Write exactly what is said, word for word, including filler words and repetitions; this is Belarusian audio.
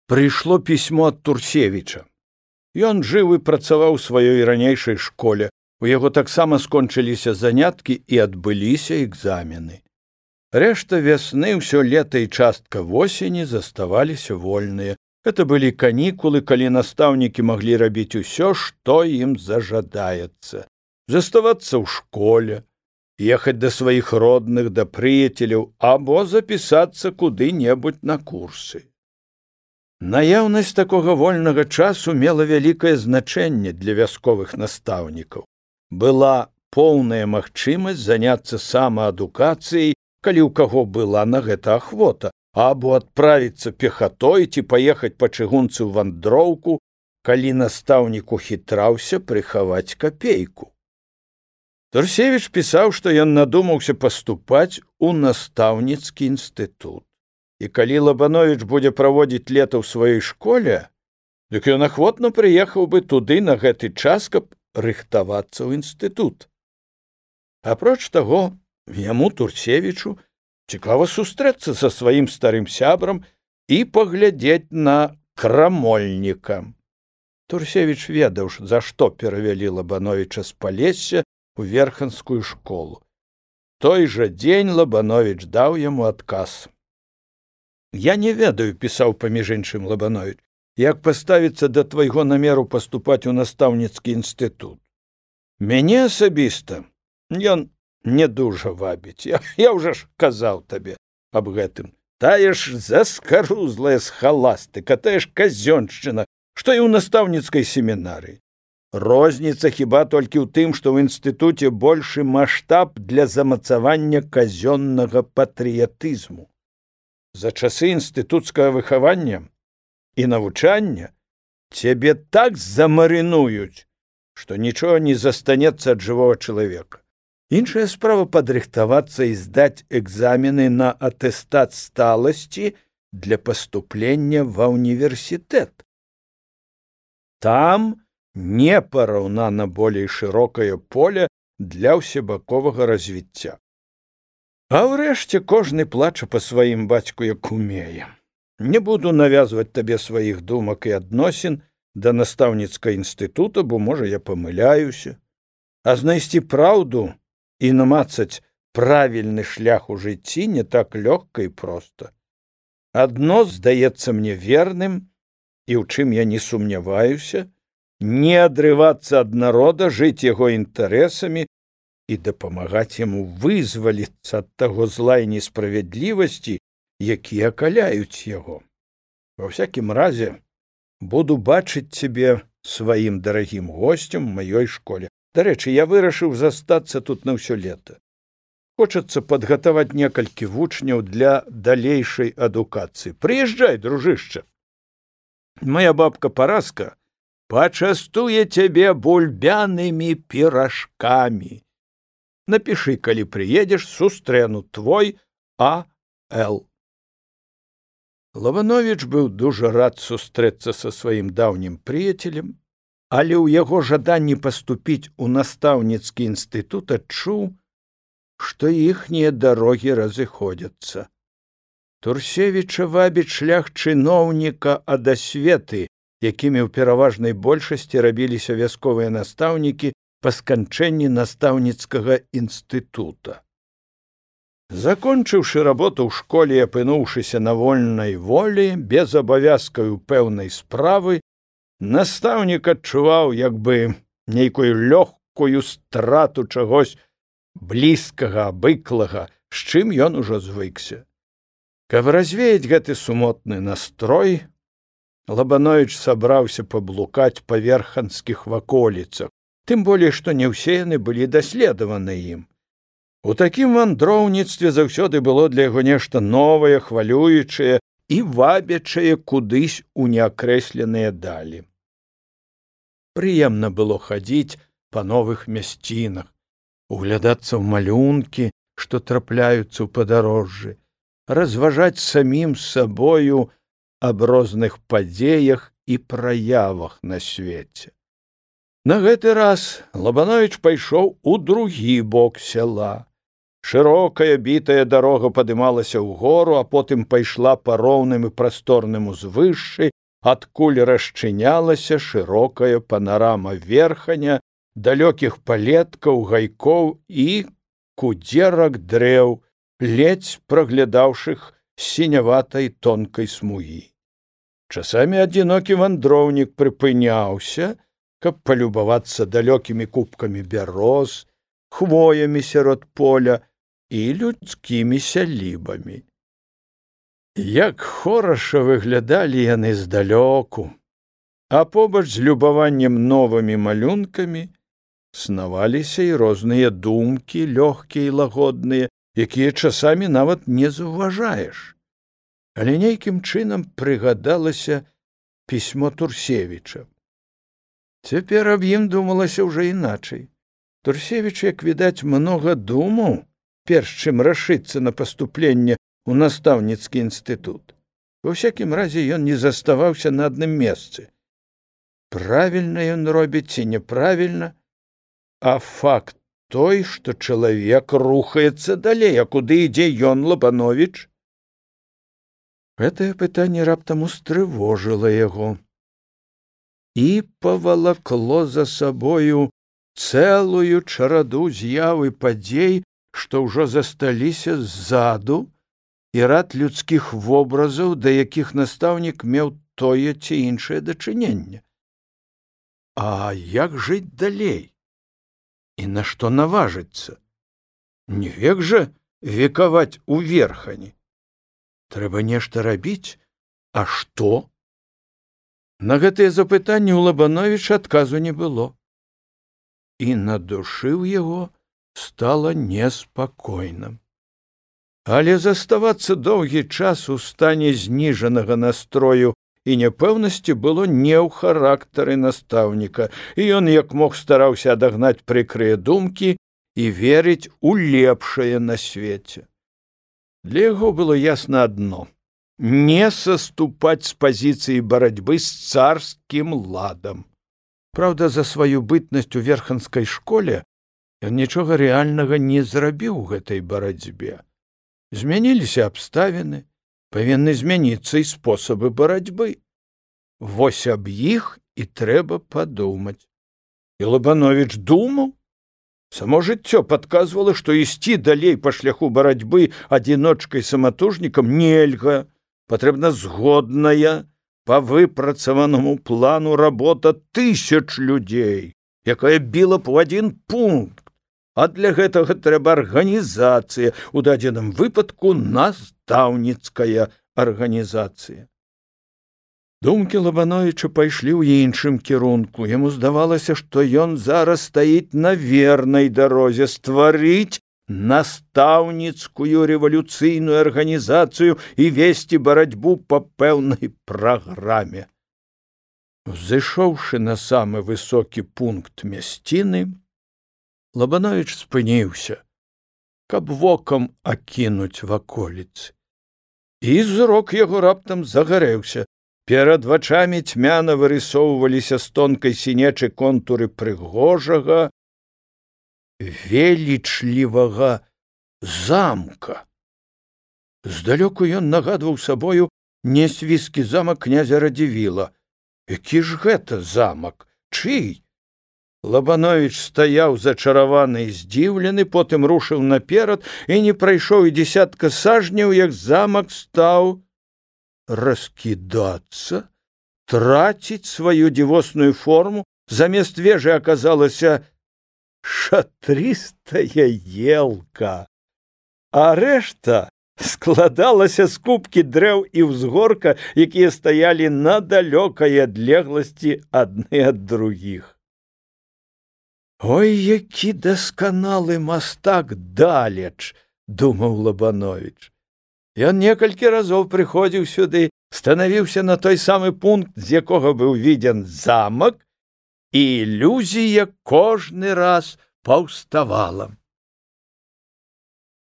Прыйшло пісьмо ад Турсевіча. Ён жыў і працаваў у сваёй ранейшай школе. У яго таксама скончыліся заняткі і адбыліся экзамены. Рэшта вясны, ўсё лета і частка восені заставаліся вольныя. Это былі канікулы, калі настаўнікі маглі рабіць усё, што ім зажадаецца. Заставацца ў школе, ехаць да сваіх родных, да прыяцеляў, або запісацца куды-небудзь на курсы. Наяўнасць такога вольнага часу мела вялікае значэнне для вясковых настаўнікаў. Была поўная магчымасць заняцца самаадукацыяй, калі ў каго была на гэта ахвота, або адправіцца пехатой ці паехаць па чыгунцы ў вандроўку, калі настаўнік ухітраўся прыхаваць капейку. Турсевіч пісаў, што ён надумаўся паступаць у настаўніцкі інстытут. І калі Лабановіч будзе праводзіць лета ў сваёй школе, дык ён ахвотна прыехаў бы туды на гэты час, каб рыхтавацца ў інстытут. Апроч таго, яму, Турсевічу, цікава сустрэцца са сваім старым сябрам і паглядзець на крамольніка. Турсевіч ведаў, за што перавялі Лабановіча з Палесся у верханскую школу. Той жа дзень Лабановіч даў яму адказ. «Я не ведаю», — пісаў паміж іншым Лабановіч, «як паставіцца да твайго намеру паступаць у настаўніцкі інстытут. Мяне асабіста ён не дужа вабіць. Я, я ўжо ж казаў табе аб гэтым. Тая ж заскарузлая схаластыка, тая ж казёншчына, што і ў настаўніцкай семінарыі. Розніца хіба толькі ў тым, што ў інстытуце большы маштаб для замацавання казённага патрыятызму. За часы інстытуцкага выхавання і навучання цябе так замарынуюць, што нічога не застанецца ад жывога чалавека. Іншая справа падрыхтавацца і здаць экзамены на атэстат сталасці для паступлення ва ўніверсітэт. Там непараўнана болей шырокае поле для ўсебаковага развіцця. А ўрэшце кожны плача па сваім бацьку, як умее. Не буду навязваць табе сваіх думак і адносін да настаўніцкага інстытута, бо, можа, я памыляюся. А знайсці праўду і намацаць правільны шлях у жыцці не так лёгка і проста. Адно здаецца мне верным, і ў чым я не сумняваюся, не адрывацца ад народа, жыць яго інтарэсамі і дапамагаць яму вызваліцца ад таго зла і несправядлівасці, якія акаляюць яго. Ва всякім разе, буду бачыць цябе сваім дарагім госцем у маёй школе. Дарэчы, я вырашыў застацца тут на ўсё лета. Хочацца падгатаваць некалькі вучняў для далейшай адукацыі. Прыязджай, дружышча. Моя бабка Параска пачастуе цябе бульбянымі піражкамі. Напішы, калі прыедзеш, сустрэну, твой А Л. Лабановіч быў дужа рад сустрэцца са сваім даўнім прыяцелем, але ў яго жаданні паступіць у настаўніцкі інстытут адчуў, што іхнія дарогі разыходзяцца. Турсевіча вабіць шлях чыноўніка ад асветы, якімі ў пераважнай большасці рабіліся вясковыя настаўнікі па сканчэнні настаўніцкага інстытута. Закончыўшы работу ў школе і апынуўшыся на вольнай волі, без абавязкаў пэўнай справы, настаўнік адчуваў як бы нейкую лёгкую страту чагось блізкага, абыклага, з чым ён ужо звыкся. Каб развеяць гэты сумотны настрой, Лабановіч сабраўся паблукаць па верханскіх ваколіцах, тым болей, што не ўсе яны былі даследаваны ім. У такім вандроўніцтве заўсёды было для яго нешта новае, хвалюючае і вабячае кудысь у неакрэсленыя далі. Прыемна было хадзіць па новых мясцінах, углядацца ў малюнкі, што трапляюцца ў падарожжы, разважаць самім сабою аб розных падзеях і праявах на свеце. На гэты раз Лабановіч пайшоў у другі бок сяла, Шырокая бітая дарога падымалася ўгору, а потым пайшла па роўным і прасторным узвышшы, адкуль расчынялася шырокая панарама верханя, далёкіх палеткаў, гайкоў і кудзерак дрэў, ледзь праглядаўшых сіняватай тонкай смугі. Часамі адзінокі вандроўнік прыпыняўся, каб палюбавацца далёкімі купкамі бяроз, хвоямі сярод поля і людскімі сялібамі. Як хораша выглядалі яны здалёку, а побач з любаваннем новымі малюнкамі снаваліся і розныя думкі, лёгкія і лагодныя, якія часамі нават не заўважаеш. Але нейкім чынам прыгадалася пісьмо Турсевіча. Цяпер аб ім думалася ўжо іначай. Турсевіч, як відаць, многа думаў, перш чым рашыцца на паступленне ў настаўніцкі інстытут. Ва ўсякім разе ён не заставаўся на адным месцы. Правільна ён робіць ці няправільна, а факт той, што чалавек рухаецца далей, а куды ідзе ён, Лабановіч? Гэтае пытанне раптам устрывожыла яго і павалакло за сабою цэлую чараду з'яў і падзей, што ўжо засталіся ззаду, і рад людскіх вобразаў, да якіх настаўнік меў тое ці іншае дачыненне. А як жыць далей? І на што наважыцца? Не век жа векаваць у верхані. Трэба нешта рабіць, а што? На гэтыя запытанні ў Лабановіча адказу не было. І на душы ў яго стала неспакойным. Але заставацца доўгі час у стане зніжанага настрою і няпэўнасці было не ў характары настаўніка, і ён як мог стараўся адагнаць прыкрыя думкі і верыць у лепшае на свеце. Для яго было ясна адно — не саступаць з пазіцыі барацьбы з царскім ладам. Праўда, за сваю бытнасць у верханскай школе ён нічога рэальнага не зрабіў у гэтай барацьбе. Змяніліся абставіны, павінны змяніцца і спосабы барацьбы. Вось аб іх і трэба падумаць. І Лабановіч думаў. Само жыццё падказвала, што ісці далей па шляху барацьбы адзіночкай-саматужнікам нельга, патрэбна згодная, па выпрацаванаму плану работа тысяч людзей, якая біла б у адзін пункт, а для гэтага трэба арганізацыя, у дадзеным выпадку настаўніцкая арганізацыя. Думкі Лабановіча пайшлі ў іншым кірунку. Яму здавалася, што ён зараз стаіць на вернай дарозе стварыць настаўніцкую рэвалюцыйную арганізацыю і весці барацьбу па пэўнай праграме. Узышоўшы на самы высокі пункт мясціны, Лабановіч спыніўся, каб вокам акінуць ваколіцы. І зрок яго раптам загарэўся. Перад вачамі цьмяна вырысоўваліся з тонкай сінечы контуры прыгожага, велічлівага замка. Здалёку ён нагадваў сабою нясвійскі замак князя Радзівіла. Які ж гэта замак? Чый? Лабановіч стаяў зачараваны і здзіўлены, потым рушыў наперад і не прайшоў і дзесятка сажняў, як замак стаў раскідацца, траціць сваю дзівосную форму, замест вежы аказалася шатрыстая елка, а рэшта складалася з купкі дрэў і ўзгорка, якія стаялі на далёкай адлегласці адны ад другіх. Ой, які дасканалы мастак далеч, думаў Лабановіч. Ён некалькі разоў прыходзіў сюды, станавіўся на той самы пункт, з якога быў відзен замак, і ілюзія кожны раз паўставала.